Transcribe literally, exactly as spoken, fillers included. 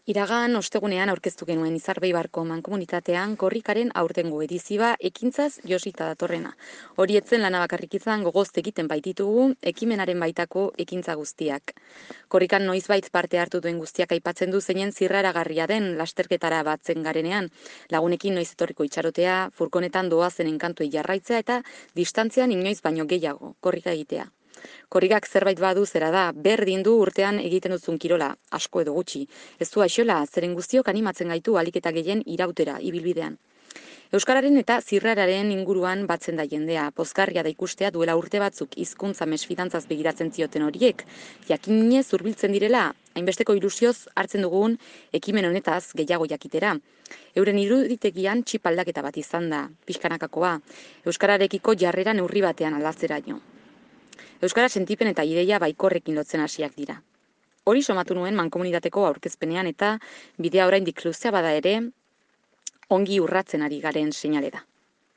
Iragan ostegunean aurkeztu genuen Izarbeibarko mankomunitatean korrikaren aurtengo edizioa ekintzaz josita datorrena. Hori etzen lana bakarrik izan gogoz egiten baititugu ekimenaren baitako ekintza guztiak. Korrikan noizbait parte hartu duen guztiak aipatzen du zeinen zirraragarria den lasterketara batzen garenean, lagunekin noiz etorriko itxarotea, furkonetan doazen enkantuei jarraitzea eta distantzian inoiz baino gehiago korrika egitea. Korrikak zerbait badu zera da, berdin du urtean egiten duzun kirola, asko edo gutxi. Ez du aixola, zeren guztiok animatzen gaitu ahalik eta gehien irautera ibilbidean. Euskararen eta zirrararen inguruan batzen da jendea, pozgarria da ikustea duela urte batzuk hizkuntza mesfidantzaz begiratzen zioten horiek, jakinez hurbiltzen direla, hainbesteko ilusioz hartzen dugun ekimen honetaz gehiago jakitera. Euren iruditegian txip aldaketa bat izan da, pixkanakakoa, euskararekiko jarrera neurri batean aldatzeraino. Euskara sentipen eta ideia baikorrekin lotzen hasiak dira. Hori somatu nuen mankomunitateko aurkezpenean eta bidea oraindik luzea bada ere, ongi urratzen ari garen seinale da.